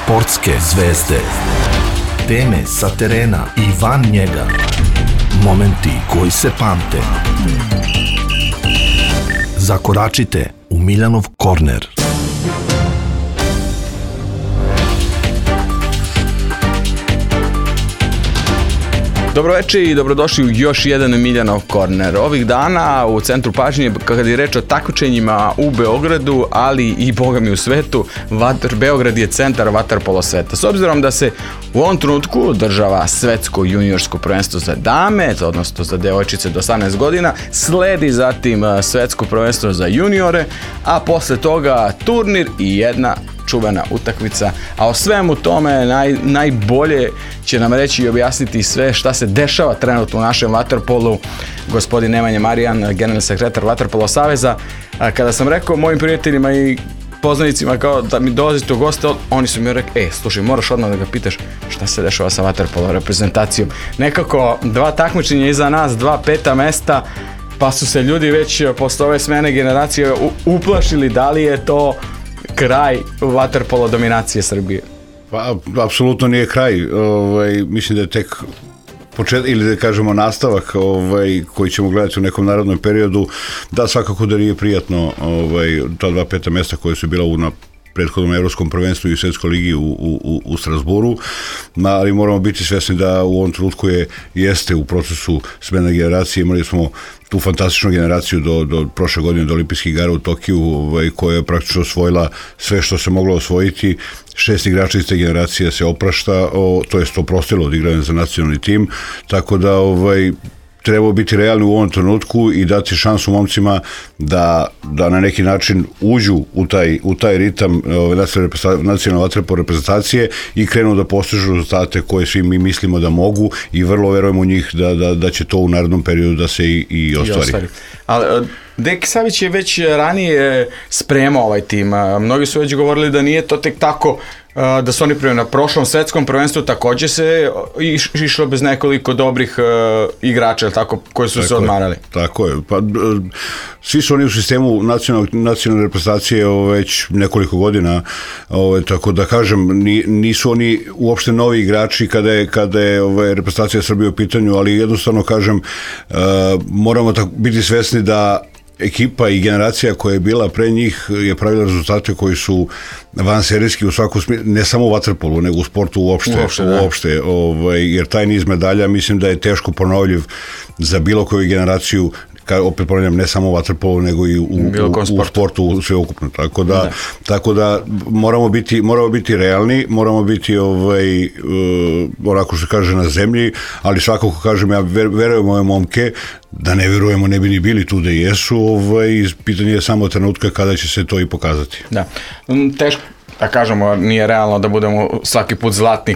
Sportske zvezde. Teme sa terena i van njega. Momenti koji se pamte. Zakoračite u Miljanov korner. Dobroveče i dobrodošli u još jedan Miljanov korner. Ovih dana u centru pažnje, kada je reč o takmičenjima u Beogradu, ali i bogami u svetu, Beograd je centar vaterpolo sveta. S obzirom da se u ovom trenutku održava svetsko juniorsko prvenstvo za dame, odnosno za devojčice do 18 godina, sledi zatim svetsko prvenstvo za juniore, a posle toga turnir i jedna čuvena utakmica, a o svemu tome najbolje će nam reći i objasniti sve šta se dešava trenutno u našem vaterpolu gospodin Nemanja Marijan, generalni sekretar Vaterpolo saveza. Kada sam rekao mojim prijateljima i poznanicima kao da mi dolazite u goste, oni su mi rekli, slušaj, moraš odmah da ga pitaš šta se dešava sa vaterpolo reprezentacijom. Nekako dva takmičenja iza nas, 2 5. mesta, pa su se ljudi već posle ove smene generacije uplašili da li je to kraj vaterpolo dominacije Srbije. Pa, apsolutno nije kraj. Mislim da je tek početak, ili da kažemo nastavak koji ćemo gledati u nekom narodnom periodu. Da, svakako da nije prijatno ta 2 5. mesta koje su bila na prethodnom evropskom prvenstvu i svetskoj ligi u Strasburu, ali moramo biti svesni da u ovom trenutku jeste u procesu smene generacije. Imali smo tu fantastičnu generaciju do prošle godine, do olimpijskih igara u Tokiju, koja je praktično osvojila sve što se moglo osvojiti. 6 igrača iz te generacije se oprašta, to jest oprostilo od igranja za nacionalni tim, tako da treba biti realni u ovom trenutku i dati šansu momcima da na neki način uđu u taj ritam nacionalne vaterpolo reprezentacije i krenu da postižu rezultate koje svi mi mislimo da mogu i vrlo verujemo u njih da će to u narednom periodu da se i ostvari. Ali Deki Savić je već ranije spremao ovaj tim. Mnogi su već govorili da nije to tek tako, da su oni na prošlom svetskom prvenstvu takođe se išlo bez nekoliko dobrih igrača, tako, koji su se odmarali. Tako je. Pa, svi su oni u sistemu nacionalne reprezentacije već nekoliko godina, tako da kažem, nisu oni uopšte novi igrači kada je reprezentacija Srbije u pitanju, ali jednostavno kažem, moramo biti svesni da ekipa i generacija koja je bila pre njih je pravila rezultate koji su vanserijski u svakom smislu, ne samo u vaterpolu, nego u sportu uopšte, jer taj niz medalja mislim da je teško ponovljiv za bilo koju generaciju, opet ponavljam, ne samo u vaterpolu, nego i u sportu sveukupno. Tako da moramo biti realni, moramo biti onako što kaže na zemlji, ali svakako kažem, ja verujem ove momke, da ne verujemo ne bi ni bili tu da jesu, pitanje je samo trenutka kada će se to i pokazati. Da, teško da kažemo, nije realno da budemo svaki put zlatni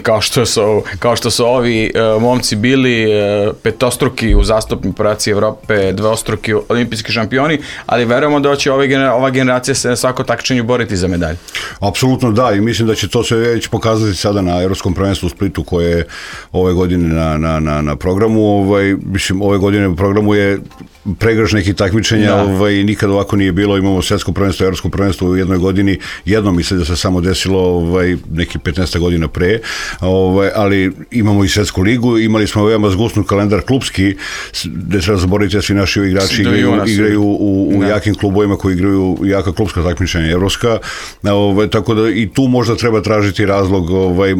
kao što su ovi momci bili, petostruki u zastupnoj prvaci Evrope, dvostruki olimpijski šampioni, ali verujemo da će ova generacija se na svako takmičenju boriti za medalje. Apsolutno da, i mislim da će to se već pokazati sada na Evropskom prvenstvu u Splitu koje je ove godine na programu. Mislim, ove godine u programu je pregrš nekih takmičenja, nikad ovako nije bilo. Imamo svetsko prvenstvo, evropsko prvenstvo u jednoj godini, jednom mislim da se samo desilo neki 15 godina pre, ali imamo i svetsku ligu, imali smo veoma zgusnu kalendar klubski, gde treba zaboraviti da svi naši igrači igraju u jakim klubovima koji igraju jaka klubska takmičenja evropska, tako da i tu možda treba tražiti razlog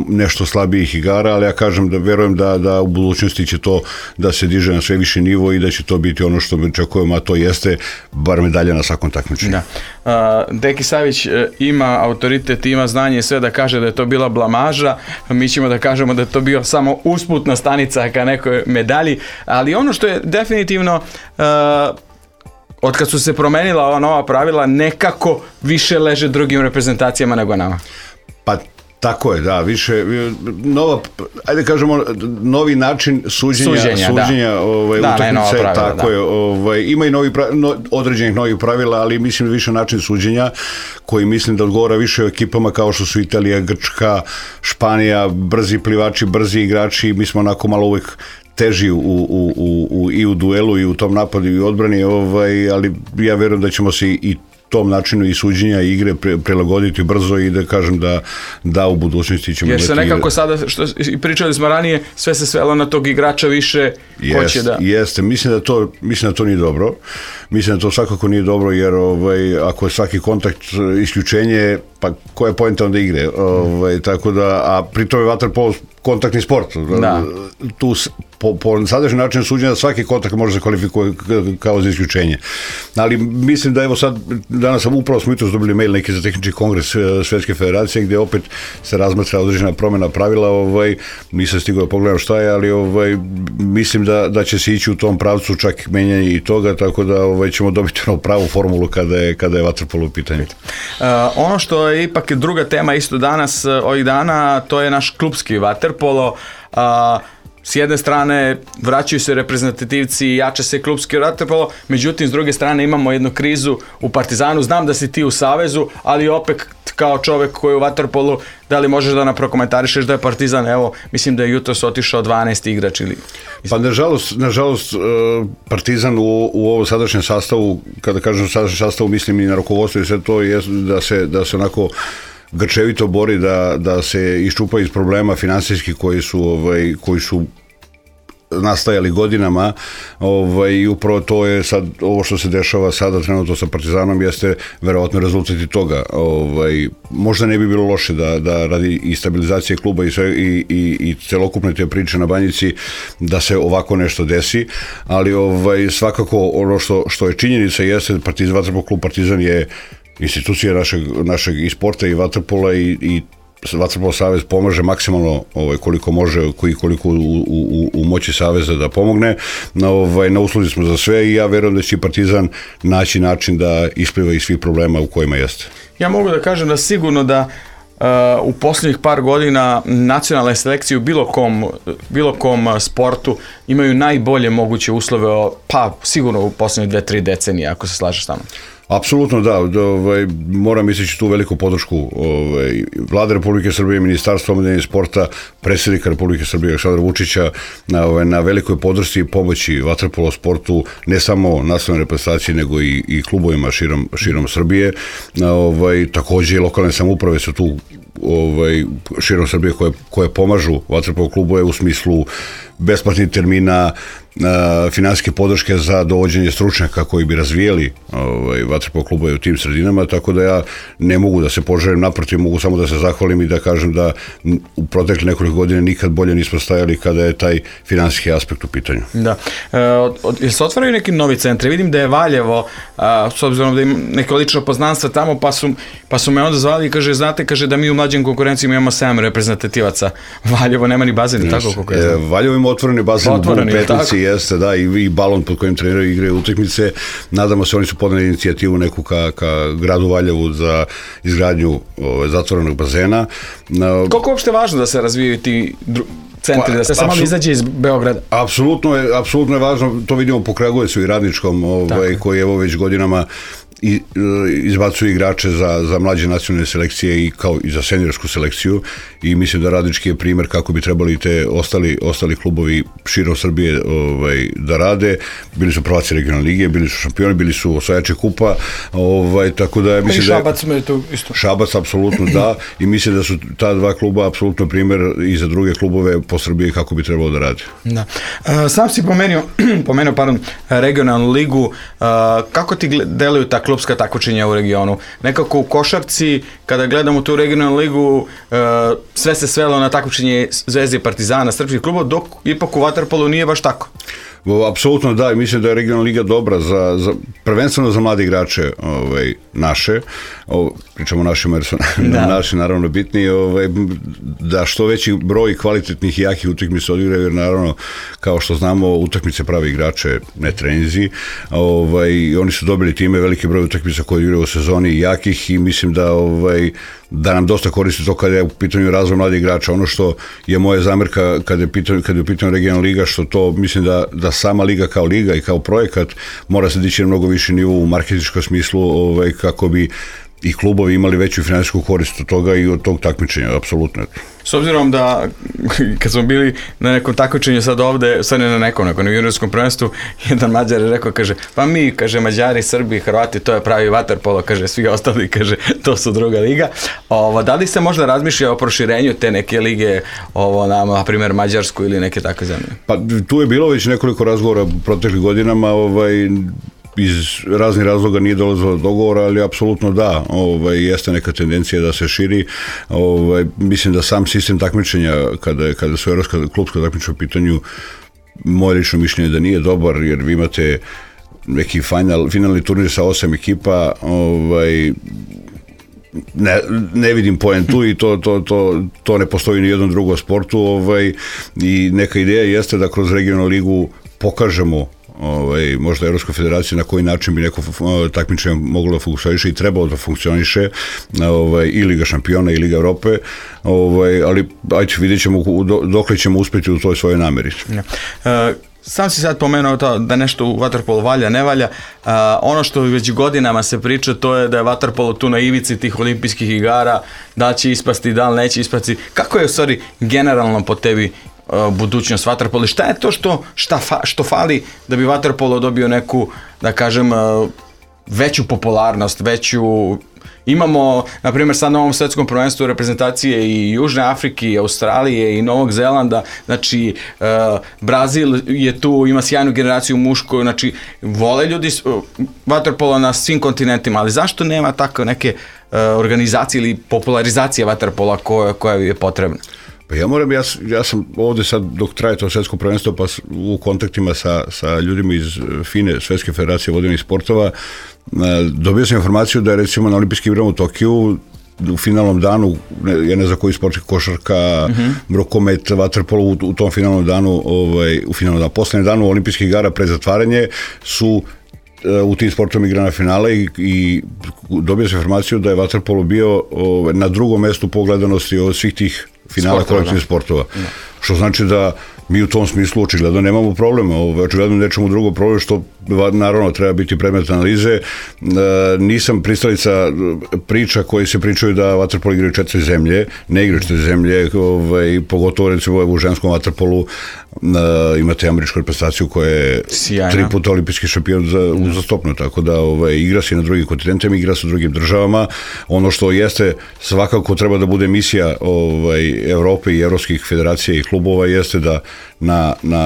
nešto slabijih igara, ali ja kažem da verujem da u budućnosti će to da se diže na sve viši nivo i da će to biti ono što mi očekujemo, a to jeste bar medalja na svakom takmičenju. Deki Savić ima autoritet, ima znanje sve da kaže da je to bila blamaža, mi ćemo da kažemo da je to bio samo usputna stanica ka nekoj medalji, ali ono što je definitivno od kad su se promenila ova nova pravila, nekako više leže drugim reprezentacijama nego nama. Pa tako je, da, više ajde kažemo novi način suđenja utakmice, tako je, ima i određenih novih pravila, ali mislim više način suđenja koji mislim da odgovara više ekipama kao što su Italija, Grčka, Španija, brzi plivači, brzi igrači, mi smo onako malo uvek teži i u duelu i u tom napadu i u odbrani, ali ja verujem da ćemo se i tom načinu i suđenja i igre prilagoditi brzo i da kažem da u budućnosti ćemo... Jer se nekako sada, što i pričali smo ranije, sve se svelo na tog igrača više ko će da... Jeste, mislim da to nije dobro. Mislim da to svakako nije dobro, jer ako je svaki kontakt isključenje, pa koja je poenta onda igre? Tako da, a pritom je vaterpolo kontaktni sport. Da. Tu po sadašnjem načinu suđenja svaki kontakt može se kvalifikuje kao za isključenje. Ali mislim da evo sad, danas upravo smo jutros dobili mail neki za tehnički kongres Svetske federacije gdje opet se razmatra određena promjena pravila, nisam stigao da pogledam šta je, ali mislim da će se ići u tom pravcu čak menjanje i toga, tako da ćemo dobiti pravu formulu kada je vaterpolo u pitanju. Ono što je ipak druga tema isto danas, ovih dana, to je naš klubski vaterpolo. S jedne strane vraćaju se reprezentativci i jače se klubski vaterpolo, međutim s druge strane imamo jednu krizu u Partizanu. Znam da si ti u Savezu, ali opet kao čovjek koji je u vaterpolu, da li možeš da nam prokomentarišeš da je Partizan, evo, mislim da je jutros otišao 12 igrač ili... Pa nažalost Partizan u ovom sadašnjem sastavu, kada kažem sadašnjem sastavu, mislim i na rukovodstvo i sve to, je da se onako grčevito bori da se iščupa iz problema finansijskih koji su nastajali godinama, i upravo to je sad, ovo što se dešava sada trenutno sa Partizanom jeste verovatno rezultat i toga. Možda ne bi bilo loše da radi i stabilizacije kluba i celokupne te priče na Banjici da se ovako nešto desi, ali svakako ono što je činjenica jeste vaterpolo klub Partizan je institucija našeg i sporta i vaterpola i Vaterpolo savez pomaže maksimalno koliko može i koliko u moći saveza da pomogne. Na usluzi smo za sve i ja verujem da će Partizan naći način da ispliva iz svih problema u kojima jeste. Ja mogu da kažem da sigurno da u posljednjih par godina nacionalne selekcije u bilo kom sportu imaju najbolje moguće uslove, pa sigurno u posljednje 2-3 decenije, ako se slažeš sa mnom. Apsolutno da, moram istići tu veliku podršku Vlade Republike Srbije, Ministarstva omladine i sporta, predsjednika Republike Srbije Aleksandra Vučića na velikoj podršci i pomoći vaterpolo sportu, ne samo nacionalne reprezentacije nego i klubovima širom Srbije. Također i lokalne samouprave su tu širom Srbije koje pomažu vaterpolo klubove u smislu besplatnih termina, finansijske podrške za dovođenje stručnjaka koji bi razvijeli vaterpolo klubove u tim sredinama, tako da ja ne mogu da se poželim, naprotiv, mogu samo da se zahvalim i da kažem da u protekle nekoliko godina nikad bolje nismo stajali kada je taj finansijski aspekt u pitanju. Da. Jel se otvaraju neki novi centri? Vidim da je Valjevo, s obzirom da ima neke lično poznanstva tamo, pa su me onda zvali i kaže da mi u mlađim konkurencijama imamo 7 reprezentativaca. Valjevo nema ni bazen, tako kako je znam. Valjevo ima otvoreni bazen u Petnici, jeste, da, i balon pod kojim treniraju igre utakmice. Nadamo se, oni su podneli inicijativu neku ka gradu Valjevu za izgradnju zatvorenog bazena. Koliko je uopšte važno da se razvijaju ti centri, da se malo izađe iz Beograda? Apsolutno je važno, to vidimo po Kragujevcu i Radničkom, koji evo već godinama izbacuju igrače za mlađe nacionalne selekcije i kao i za seniorsku selekciju, i mislim da Radnički je primjer kako bi trebali te ostali klubovi širom Srbije da rade. Bili su prvaci regionalne lige, bili su šampioni, bili su osvajači kupa, tako da mislim da Šabac me to isto. Šabac apsolutno da, i mislim da su ta dva kluba apsolutno primjer i za druge klubove po Srbiji kako bi trebalo da rade. Da. Sam si pomenuo regionalnu ligu, kako ti deluju ta klubska takmičenja u regionu? Nekako u košarci, kada gledamo tu regionalnu ligu, sve se svelo na takmičenje Zvezde i Partizana, srpskih klubova, dok ipak u vaterpolu nije baš tako. Apsolutno da, mislim da je regionalna liga dobra prvenstveno za mlade igrače naše, pričamo o našima jer su naši naravno bitni, da što veći broj kvalitetnih i jakih utakmica odigraju, jer naravno kao što znamo utakmice prave igrače, ne treninzi, oni su dobili time veliki broj utakmica koje odigraju u sezoni jakih, i mislim da nam dosta koristi to kada je u pitanju razvoj mladih igrača. Ono što je moja zamjerka kada je u pitanju regionalna liga, što to mislim da sama liga kao liga i kao projekat mora se dići na mnogo više nivo u marketinškom smislu, kako bi i klubovi imali veću finansijsku korist od toga i od tog takmičenja, apsolutno. S obzirom da, kad smo bili na nekom takmičenju sad ovde, sad ne na nekom, nego na juniorskom prvenstvu, jedan Mađar je rekao, kaže, pa mi, kaže, Mađari, Srbi, Hrvati, to je pravi vaterpolo, kaže, svi ostali, kaže, to su druga liga. Da li se možda razmišlja o proširenju te neke lige, na primjer, Mađarsku ili neke takve zemlje? Pa tu je bilo već nekoliko razgovora proteklih godinama, iz raznih razloga nije dolazilo do dogovora, ali apsolutno da, jeste neka tendencija da se širi. Mislim da sam sistem takmičenja, kada su evropska klubska takmičenja u pitanju, moje lično mišljenje je da nije dobar, jer vi imate neki finalni turnir sa 8 ekipa, ne vidim poentu i to ne postoji ni u jednom drugom sportu, i neka ideja jeste da kroz regionalnu ligu pokažemo možda Evropska federacija na koji način bi neko takmičenje moglo da funkcioniše i trebalo da funkcioniše, i Liga šampiona i Liga Evrope, ali ajde, vidjet ćemo dokle ćemo uspjeti u toj svojoj nameri. Sam si sad pomenuo to da nešto u vaterpolu valja, ne valja. Ono što već godinama se priča, to je da je vaterpolo tu na ivici tih olimpijskih igara, da će ispasti, da li neće ispasti. Kako je u stvari generalno po tebi budućnost vaterpola? Šta je to što fali da bi vaterpolo dobio neku, da kažem, veću popularnost, imamo, na primjer, sad na ovom svetskom prvenstvu reprezentacije i Južne Afrike, i Australije, i Novog Zelanda, znači Brazil je tu, ima sjajnu generaciju mušku, znači vole ljudi vaterpola na svim kontinentima, ali zašto nema tako neke organizacije ili popularizacije vaterpola koja je potrebna? Pa ja sam ovde sad, dok traje to svetsko prvenstvo, pa u kontaktima sa ljudima iz FINE, Svetske federacije vodenih sportova, dobio sam informaciju da je recimo na olimpijskim igrama u Tokiju u finalnom danu, ja ne znam koji sport, košarka, rukomet, vaterpolo, u tom finalnom danu, poslednjem danu olimpijskih igara pred zatvaranje su u tim sportom igra na finale i dobio sam informaciju da je vaterpolo bio na drugom mestu po gledanosti od svih tih finala kolektivnih sportova. Što znači da mi u tom smislu očigledno nemamo problema, očigledno nečemu drugo problem, što naravno treba biti predmet analize. Nisam pristalica priča koji se pričaju da vaterpolo igraju 4 zemlje, ne igraju 4 zemlje, pogotovo recimo u ženskom vaterpolu imate američku reprezentaciju koja je 3 puta olimpijski šampion uzastopno, tako da igra se na drugim kontinentima, igra se u drugim državama. Ono što jeste svakako treba da bude misija Evrope i evropskih federacija i klubova jeste da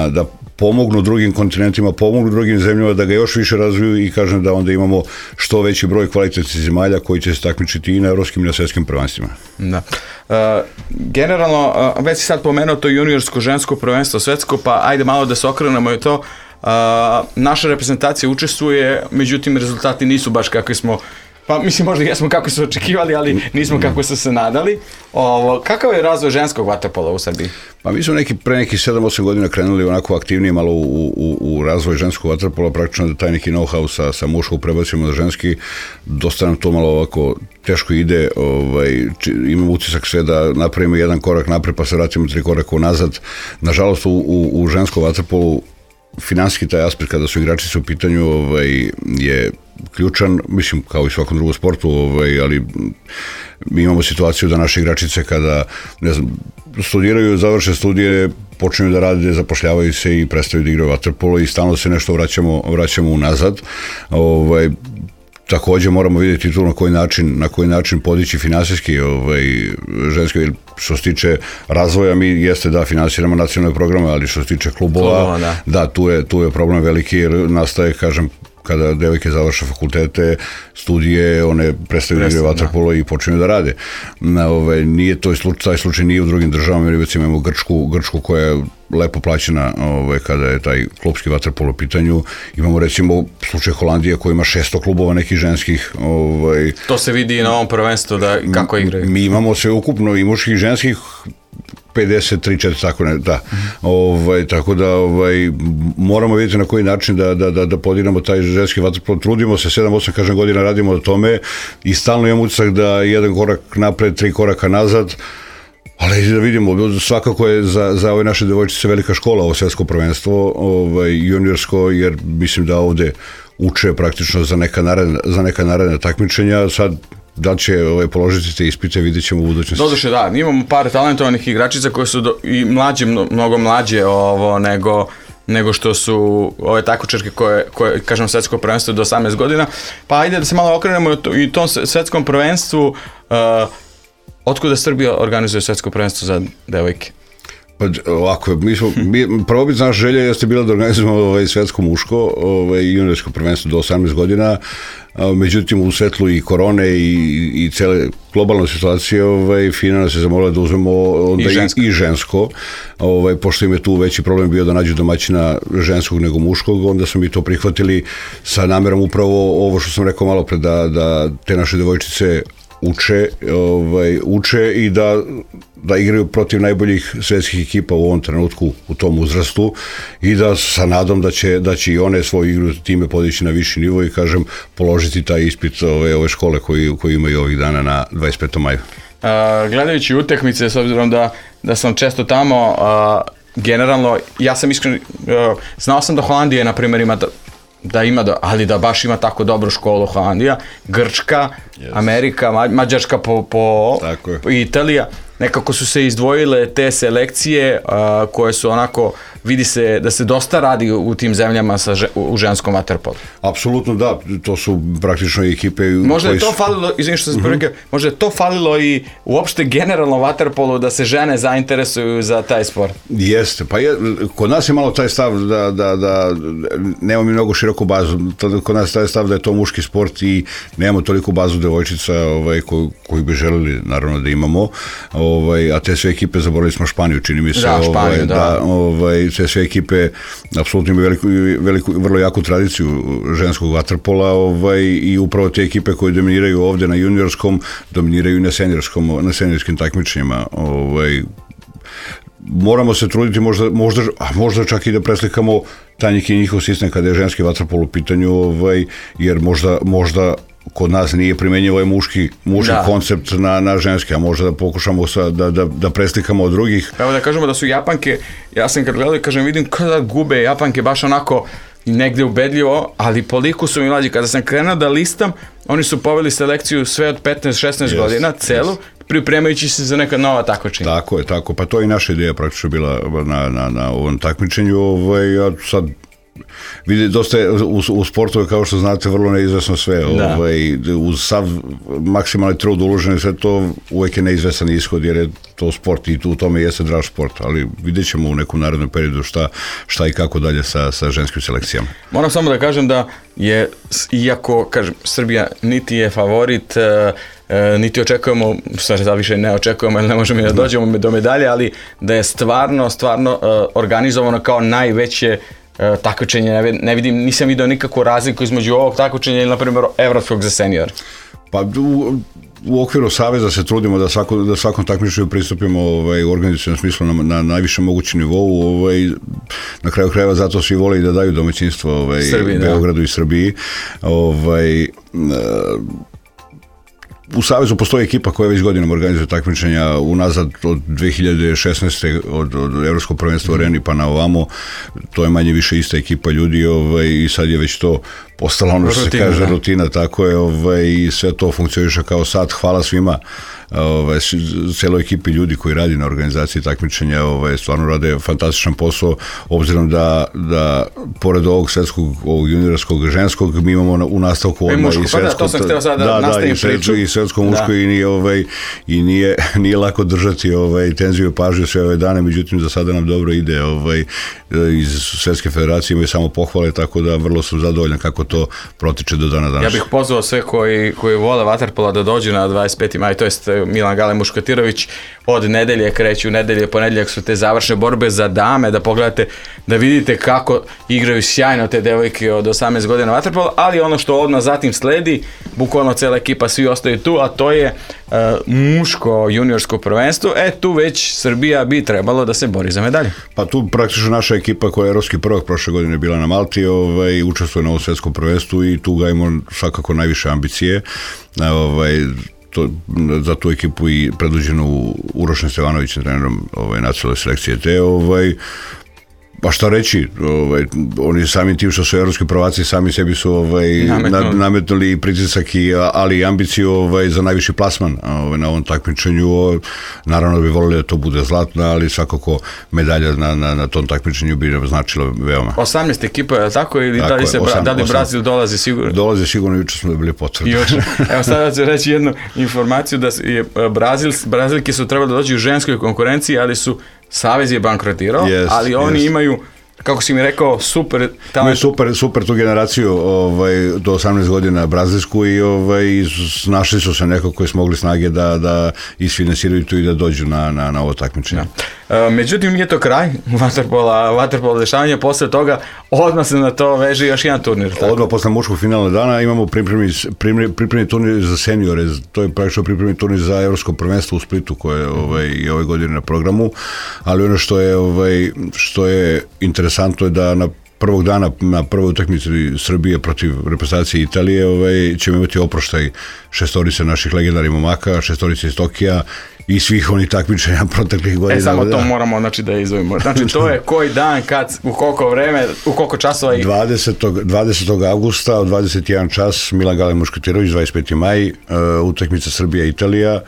da pomognu drugim kontinentima, pomognu drugim zemljama da ga još više razviju i kažem da onda imamo što veći broj kvalitetnih zemalja koji će se takmičiti i na evropskim i na svetskim prvenstvima. Da. Generalno, već si sad pomenuo to juniorsko, žensko prvenstvo, svetsko, pa ajde malo da se okrenemo i to. Naša reprezentacija učestvuje, međutim rezultati nisu baš kakvi smo, pa mislim možda jesmo kako su očekivali, ali nismo kako su se nadali. Kakav je razvoj ženskog vaterpola u Srbiji? Pa mi smo pre nekih 7-8 godina krenuli onako aktivnije malo u razvoj ženskog vaterpola, praktično da taj neki know-how sa muškog prebacimo na ženski, dosta nam to malo ovako teško ide, imamo utisak sve da napravimo jedan korak napred pa se vratimo 3 koraka unazad. Nažalost u ženskom vaterpolu finansijski taj aspekt kada su igračice u pitanju je ključan, mislim kao i svakom drugom sportu, ali mi imamo situaciju da naše igračice kada, ne znam, studiraju, završe studije, počinju da rade, zapošljavaju se i prestaju da igraju vaterpolo i stalno se nešto vraćamo unazad. Takođe moramo vidjeti tu na koji način podići finansijski ženske, što se tiče razvoja, mi jeste da finansiramo nacionalne programe, ali što se tiče klubova, da, tu je problem veliki jer nastaje, kažem, kada devojke završe fakultete, studije, one prestaju da igraju vaterpolo i počinju da rade. Nije taj slučaj nije u drugim državama, jer recimo imamo Grčku koja je lepo plaćena kada je taj klubski vaterpolo u pitanju. Imamo recimo slučaj Holandije koja ima 600 klubova nekih ženskih. To se vidi i na ovom prvenstvu da kako igraju. Mi imamo sve ukupno i muških i ženskih 53-4, tako ne, da. Tako da moramo vidjeti na koji način da podiramo taj ženski vaterpolo. Trudimo se, 7-8 kažem godina radimo o tome i stalno imamo utisak da jedan korak napred, 3 koraka nazad, ali da vidimo, svakako je za ove naše devojčice velika škola ovo svetsko prvenstvo, juniorsko, jer mislim da ovde uče praktično za neka naredna takmičenja. Sad da li će položiti te ispite, vidjet ćemo u budućnosti. Doduše, da, imamo par talentovanih igračica koje su i mlađe, mnogo mlađe nego što su ove takmičarke koje kažem, svetsko prvenstvo do 18 godina. Pa ajde da se malo okrenemo i tom svetskom prvenstvu. Otkuda Srbija organizuje svetsko prvenstvo za devojke? Pa ovako, prvobit naša želja jeste bila da organizujemo svetsko muško i juniorsko prvenstvo do 18 godina, međutim u svetlu i korone i cele globalne situacije FINA nas je zamolila da uzmemo i žensko, pošto im je tu veći problem bio da nađu domaćina ženskog nego muškog, onda smo mi to prihvatili sa namerom upravo ovo što sam rekao malo pre, da te naše devojčice uče i da igraju protiv najboljih svetskih ekipa u ovom trenutku, u tom uzrastu, i da sa nadom da će i one svoju igru time podići na viši nivo i kažem položiti taj ispit ove škole koji imaju ovih dana na 25. maju. Gledajući utakmice, s obzirom da sam često tamo, generalno, ja sam iskren, znao sam da Holandija, na primjer, ali da baš ima tako dobru školu Holandija, Grčka, Amerika, Mađarska i Italija, nekako su se izdvojile te selekcije koje su onako, vidi se da se dosta radi u tim zemljama u ženskom vaterpolu. Apsolutno da, to su praktično ekipe. Možda je to falilo, izvini što sam prvi, možda je to falilo i uopšte generalno vaterpolu da se žene zainteresuju za taj sport. Jeste, pa kod nas je malo taj stav da nemamo mi mnogo široku bazu, kod nas je taj stav da je to muški sport i nemamo toliko bazu devojčica koju bi želeli naravno da imamo, a te sve ekipe, zaboravili smo Španiju, čini mi se, te sve ekipe apsolutno imaju vrlo jaku tradiciju ženskog vaterpola i upravo te ekipe koje dominiraju ovde na juniorskom, dominiraju i na seniorskim takmičenjima. Moramo se truditi možda čak i da preslikamo taj neki njihov sistem kada je ženski vaterpol u pitanju, jer možda kod nas nije primenjivo ovaj muški koncept na ženski, a možda da pokušamo da preslikamo od drugih. Evo da kažemo da su Japanke, ja sam kad gledao, kažem, vidim kada gube Japanke baš onako negde ubedljivo, ali koliko su mi mlađi. Kada sam krenuo da listam, oni su poveli selekciju sve od 15-16 godina, celu, pripremajući se za neka nova takmičenja. Tako, pa to je i naša ideja praktično bila na ovom takmičenju, a sad vidi, dosta je u sportu, kao što znate, vrlo neizvesno sve. Uz sav maksimalni trud uložen i sve to, uvek je neizvesan ishod, jer je to sport i u tome jeste draž sport, ali vidjet ćemo u nekom narednom periodu šta i kako dalje sa ženskim selekcijama. Moram samo da kažem da je, iako, kažem, Srbija niti je favorit, niti očekujemo, da više ne očekujemo, jer ne možemo da dođemo do medalje, ali da je stvarno organizovano kao najveće takmičenje. Ne vidim, nisam vidio nikakvu razliku između ovog takmičenja ili, na primjer, evropskog za senior. Pa u okviru saveza se trudimo da svakom takmičenju pristupimo u organizacionom smislu na najvišem mogućem nivou. Na kraju krajeva zato svi vole i da daju domaćinstvo Beogradu i Srbiji. U Savezu postoji ekipa koja već godinama organizuje takmičenja unazad od 2016. od Evropskog prvenstva u Areni pa na ovamo. To je manje više ista ekipa ljudi i sad je već to postala ono što se kaže rutina, tako je, i sve to funkcioniše kao sad. Hvala svima, celoj ekipi ljudi koji radi na organizaciji takmičenja, stvarno rade fantastičan posao, obzirom da pored ovog svetskog, ovog juniorskog, ženskog, mi imamo u nastavku odmah i svetsko, to sam htio sada da nastavim priču, i svetsko muško, i nije lako držati tenziju i pažnju sve ove dane, međutim za sada nam dobro ide, iz Svetske federacije imaju samo pohvale, tako da vrlo sam zadovoljan kako to protiče do dana danas. Ja bih pozvao sve koji vole vaterpola da dođu na 25. maj, to jest Milan Gale Muškatirović, od nedelje kreću, ponedeljak su te završne borbe za dame, da pogledate, da vidite kako igraju sjajno te devojke od 18 godina vaterpola, ali ono što odmah zatim sledi, bukvalno cela ekipa, svi ostaju tu, a to je muško juniorsko prvenstvo, tu već Srbija bi trebalo da se bori za medalje. Pa tu praktično naša ekipa koja je evropski prvak prošle godine bila na Malti, učestvuje na ovom svetskom prvenstvu i tu gajimo svakako najviše ambicije. Za tu ekipu i predvođenu Urošem Stevanovićem, trenerom nacionalne selekcije, Pa šta reći, oni sami tim što su evropski prvaci, sami sebi su nametnuli pritisak, ali i ambiciju za najviši plasman na ovom takmičenju. Naravno da bi volili da to bude zlatno, ali svakako medalja na tom takmičenju bi nam značila veoma. 18 ekipa, je tako? Ili da li Brazil dolazi sigurno? Dolazi sigurno, juče smo dobili potvrdu. Evo sada ću reći jednu informaciju, da je Brazilke su trebali da dođu u ženskoj konkurenciji, ali Savez je bankrotirao, ali oni imaju, kako si mi rekao, super talent. Super tu generaciju do 18 godina brazilsku i našli su se neko koji su mogli snage da isfinansiraju tu i da dođu na ovo takmičenje. Međutim, nije to kraj vaterpola dešavanja, posle toga odmah se na to veže još jedan turnir. Odmah posle muškog finalnog dana imamo pripremni turnir za seniore, to je praktično pripremni turnir za evropsko prvenstvo u Splitu koje je ove godine na programu, ali ono što je interesantno je da prvog dana na prvoj utakmici Srbije protiv reprezentacije Italije ćemo imati oproštaj šestorice naših legendarnih momaka, šestorice iz Tokija i svih onih takmičenja proteklih godina. Samo to moramo da izdvojimo. Znači to je koji dan, kad, u koliko vreme, u koliko časova? 20. augusta, u 21 čas, Milan Gale Muškatirović, 25. maj, utakmica Srbija-Italija,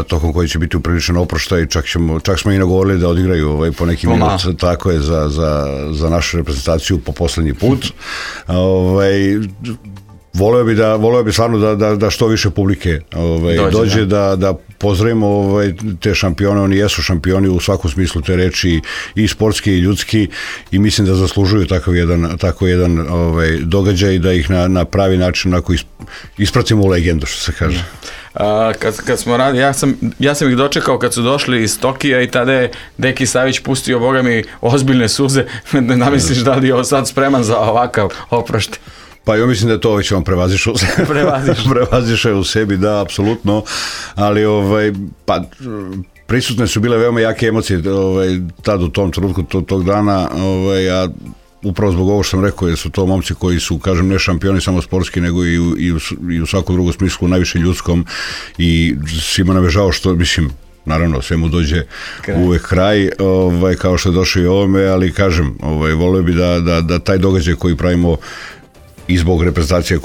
tokom koji će biti upriličan oproštaj, čak smo i nagovorili da odigraju po neki minut, tako je, za našu reprezentaciju po poslednji put. Voleo bi stvarno da što više publike dođe, da pozdravimo te šampione. Oni jesu šampioni u svakom smislu te reči, i sportski i ljudski, i mislim da zaslužuju tako jedan događaj, da ih na pravi način ispratimo u legendu, što se kaže. Kad smo radili, ja sam ih dočekao kad su došli iz Tokija i tada je Deki Savić pustio, boga mi, ozbiljne suze. Ne misliš da li je sad spreman za ovakav oproštaj? Pa ja mislim da je to već on prevazišao u sebi, da, apsolutno, ali prisutne su bile veoma jake emocije tad u tom trenutku tog dana, a upravo zbog ovo što sam rekao, jer su to momci koji su, kažem, ne šampioni samo sportski, nego i u svakom drugom smislu, najviše ljudskom, i svima nam je žao što, mislim, naravno, sve mu dođe uvek kraj, kao što je došao i ovome, ali kažem, volio bi da taj događaj koji pravimo i zbog reprezentacije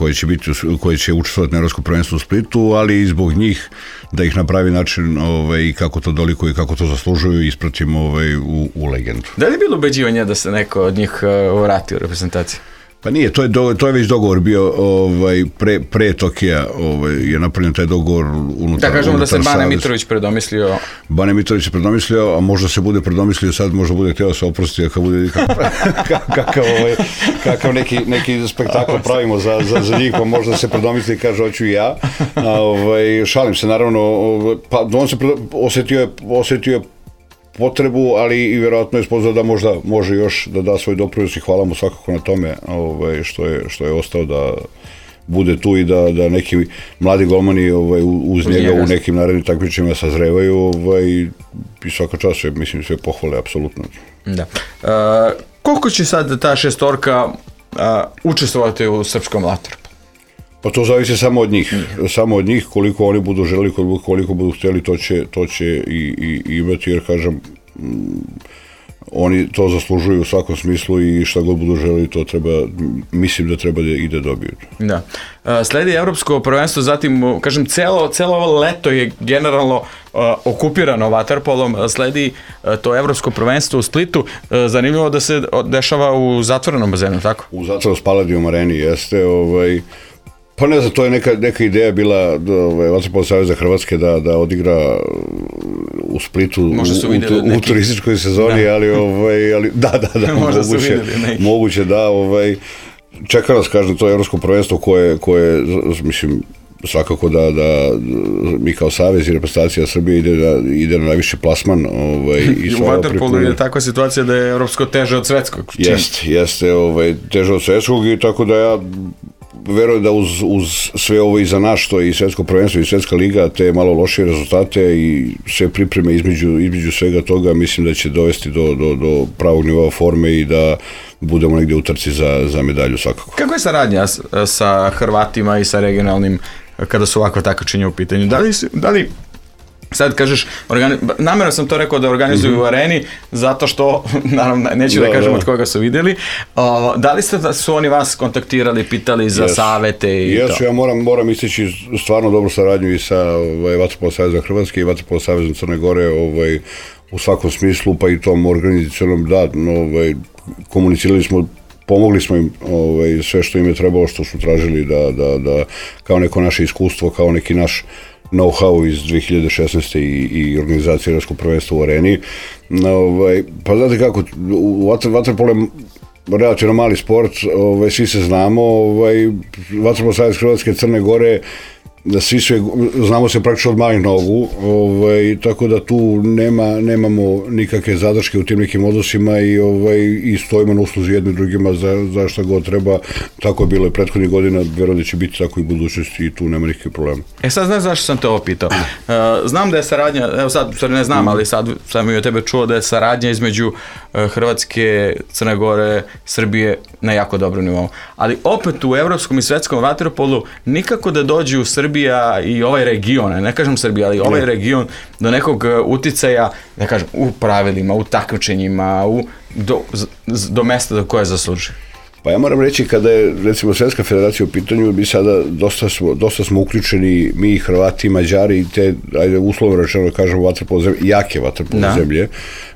koje će učestvovati na evropskom prvenstvu u Splitu, ali i zbog njih, da ih na pravi način i kako to dolikuje i kako to zaslužuju ispratimo u legendu. Da li je bilo ubeđivanje da se neko od njih vrati u reprezentaciju? Pa nije, to je već dogovor bio pre Tokija, je napravljen taj dogovor unutar. Da kažemo da se Bane Mitrović predomislio. Bane Mitrović se predomislio, a možda se bude predomislio sad, možda bude htio da se oprosti, ako bude kakav neki spektakl pravimo za njih, pa možda se predomisli i kaže hoću i ja. Šalim se, naravno, pa on se osetio je potrebu, ali i vjerojatno je spoznao da možda može još da da svoj doprinos, i hvala mu svakako na tome što je ostao da bude tu i da neki mladi golmani uz njega u nekim narednim takmičenjima sazrevaju, i svaka čast, mislim, sve pohvale, apsolutno. Da. Koliko će sad ta šestorka učestvovati u srpskom vaterpolu? Pa to zavisi samo od njih, koliko oni budu želeli, koliko budu htjeli, to će i imati, jer kažem, oni to zaslužuju u svakom smislu, i šta god budu želeli, to mislim da treba i da dobiju. Da. Sledi evropsko prvenstvo, zatim, kažem, celo ovo leto je generalno okupirano vaterpolom, sledi to evropsko prvenstvo u Splitu. Zanimljivo da se dešava u zatvorenom bazenu, tako? U zatvorenom Spaladium areni, jeste, pa ne znam, to je neka ideja bila Vaterpolo saveza Hrvatske da odigra u Splitu u turističkoj sezoni, ali da, moguće da, čeka nas, kažem, to evropsko prvenstvo koje, mislim, svakako da mi kao savez i reprezentacija Srbije ide na najviši plasman. U vaterpolu je takva situacija da je evropsko teže od svetskog. Jeste, teže od svetskog, i tako da ja verujem da uz sve ovo iza nas, što je i svetsko prvenstvo i svetska liga, te malo lošije rezultate i sve pripreme između svega toga, mislim da će dovesti do pravog nivoa forme i da budemo negdje u trci za medalju svakako. Kako je saradnja sa Hrvatima i sa regionalnim, kada su ovakva takmičenja u pitanju? Da li Sad kažeš, namjerno sam to rekao da organizuju u areni, zato što, naravno, neću da kažem od koga su vidjeli. Da li su oni vas kontaktirali, pitali za savete i to? Ja moram istići stvarno dobru saradnju i sa Vaterpolo savezom Hrvatske i Vaterpolo savezom Crne Gore u svakom smislu, pa i tom organizacionom, komunicirali smo, pomogli smo im sve što im je trebalo, što su tražili da kao neko naše iskustvo, kao neki naš know-how iz 2016. i organizacije Evropskog prvenstva u areni. Pa znate kako, vaterpolo je relativno mali sport, svi se znamo, Vaterpolo savez Hrvatske, Crne Gore, znamo se praktično od malih nogu, tako da tu nemamo nikakve zadrške u tim nekim odnosima i stojimo na usluzi jedni drugima za šta god treba. Tako je bilo i prethodnih godina, vjerujem da će biti tako i u budućnosti i tu nema nikakve problema. Sad znaš zašto sam te ovo pitao. Znam da je saradnja, evo sad ne znam, ali sad sam i od tebe čuo da je saradnja između Hrvatske, Crne Gore, Srbije na jako dobrom nivou. Ali opet u evropskom i svetskom vaterpolu nikako da dođe u Srbija i ovaj region, ne kažem Srbija, ali ovaj region do nekog uticaja, ne kažem, u pravilima, u takmičenjima, do mesta do koje zaslužuje. Pa ja moram reći, kada je recimo Svetska federacija u pitanju, mi sada dosta smo uključeni, mi Hrvati, Mađari i te, ajde uslovno rečeno da kažemo vaterpolo zemlje, jake vaterpolo zemlje,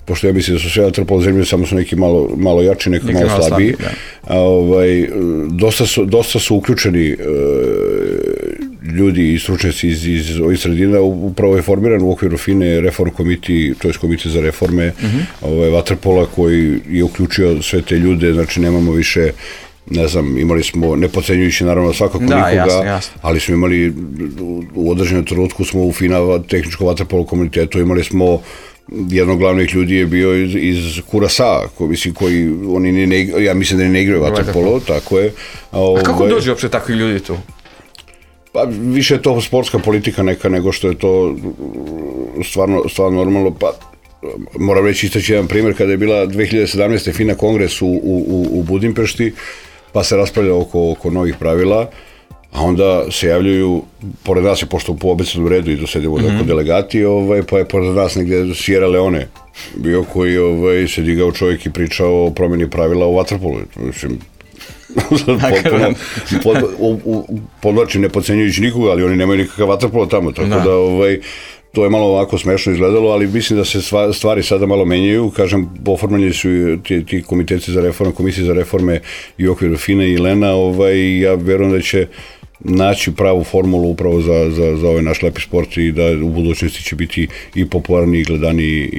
pošto ja mislim da su sve vaterpolo zemlje, samo su neki malo jači, neki malo slabiji. Dosta su uključeni ljudi i stručnjaci iz ovih sredina, upravo je formiran u okviru FINE Reform Committee, to je komite za reforme vaterpola koji je uključio sve te ljude, znači nemamo više, ne znam, imali smo, ne podcenjujući naravno svakako nikoga, jasno. Ali smo imali, u određenom trenutku smo u FINA tehničko vaterpolo komunitetu, imali smo jednog glavnih ljudi je bio iz Kurasa, koji oni ja mislim da ne igraju vaterpolo, tako je. A kako dođe uopšte takvi ljudi tu? Pa više je to sportska politika neka nego što je to stvarno normalno. Pa moram reći istaći jedan primjer, kada je bila 2017. FINA kongres u Budimpešti, pa se raspravlja oko novih pravila, a onda se javljaju, pored nas je, pošto po obećanom redu i dosedimo delegati, pa je pored nas negdje Sierra Leone bio koji se digao čovjek i pričao o promjeni pravila u vaterpolu. Mislim, podlačim, ne podcenjujući nikoga, ali oni nemaju nikakav vaterpolo tamo, tako da to je malo ovako smešno izgledalo, ali mislim da se stvari sada malo menjaju. Kažem, oformljeni su ti komiteti za reforme, komisije za reforme i u okviru FINE i Lena, ja vjerujem da će naći pravu formulu upravo za ovaj naš lepi sport i da u budućnosti će biti i popularniji, i gledaniji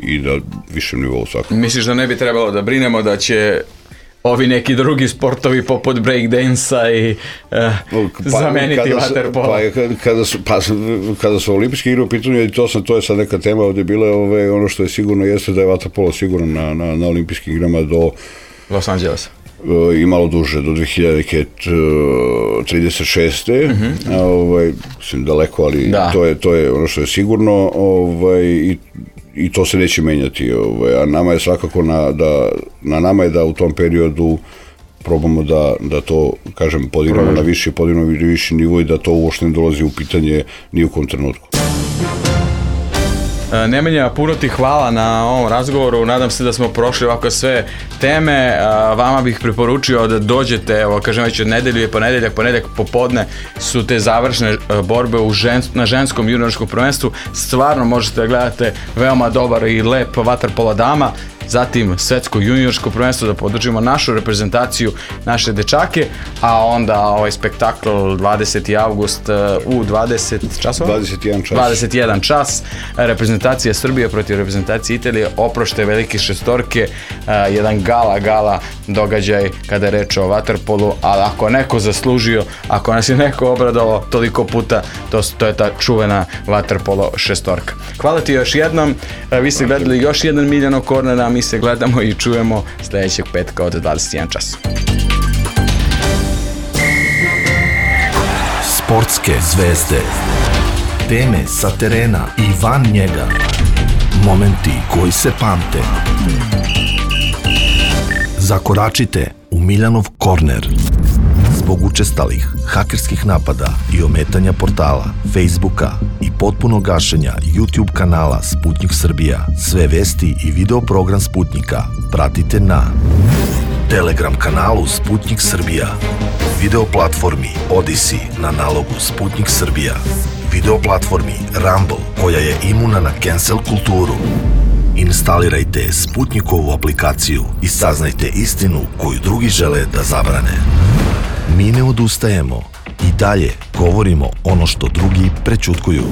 i da višem nivou svakako. Misliš da ne bi trebalo da brinemo da će ovi neki drugi sportovi poput breakdansa i zameniti vaterpolo? Kada su olimpijske igre u pitanju, i to je sad neka tema ovdje bila, ono što je sigurno jeste da je vaterpolo sigurno na olimpijskim igrama do Los Angelesa. I malo duže, do 2036. Mislim daleko, ali to je ono što je sigurno i to se neće menjati. A nama je svakako na nama je da u tom periodu probamo da to, kažem, podignemo na viši nivo i da to uopšte ne dolazi u pitanje ni u kom trenutku. Nemanja, puno ti hvala na ovom razgovoru, nadam se da smo prošli ovako sve teme, vama bih preporučio da dođete, evo kažem već od nedelju je ponedjeljak popodne su te završne borbe na ženskom juniorskom prvenstvu, stvarno možete da gledate veoma dobar i lep vaterpolo dama, zatim svetsko juniorsko prvenstvo da podržimo našu reprezentaciju, naše dečake, a onda ovaj spektakl 20. avgust u 20 časova? 21 čas, reprezentacija Srbije protiv reprezentacije Italije, oprošte velike šestorke, jedan gala događaj kada je reč o vaterpolu, ali ako neko zaslužio, ako nas je neko obradovao toliko puta, to je ta čuvena vaterpolo šestorka. Hvala ti još jednom, vi ste gledali još jedan Miljano Kornera, mi se gledamo i čujemo sljedećeg petka od 21 čas. Sportske zvezde, teme sa terena i van njega, momenti koji se pamte. Zakoračite u Miljanov korner. zbog učestalih hakerskih napada i ometanja portala, Facebooka i potpuno gašenja YouTube kanala Sputnik Srbija, sve vesti i video program Sputnika pratite na Telegram kanalu Sputnik Srbija, video platformi Odyssey na nalogu Sputnik Srbija, video platformi Rumble koja je imuna na cancel kulturu. Instalirajte Sputnikovu aplikaciju i saznajte istinu koju drugi žele da zabrane. Mi ne odustajemo i dalje govorimo ono što drugi prećutkuju.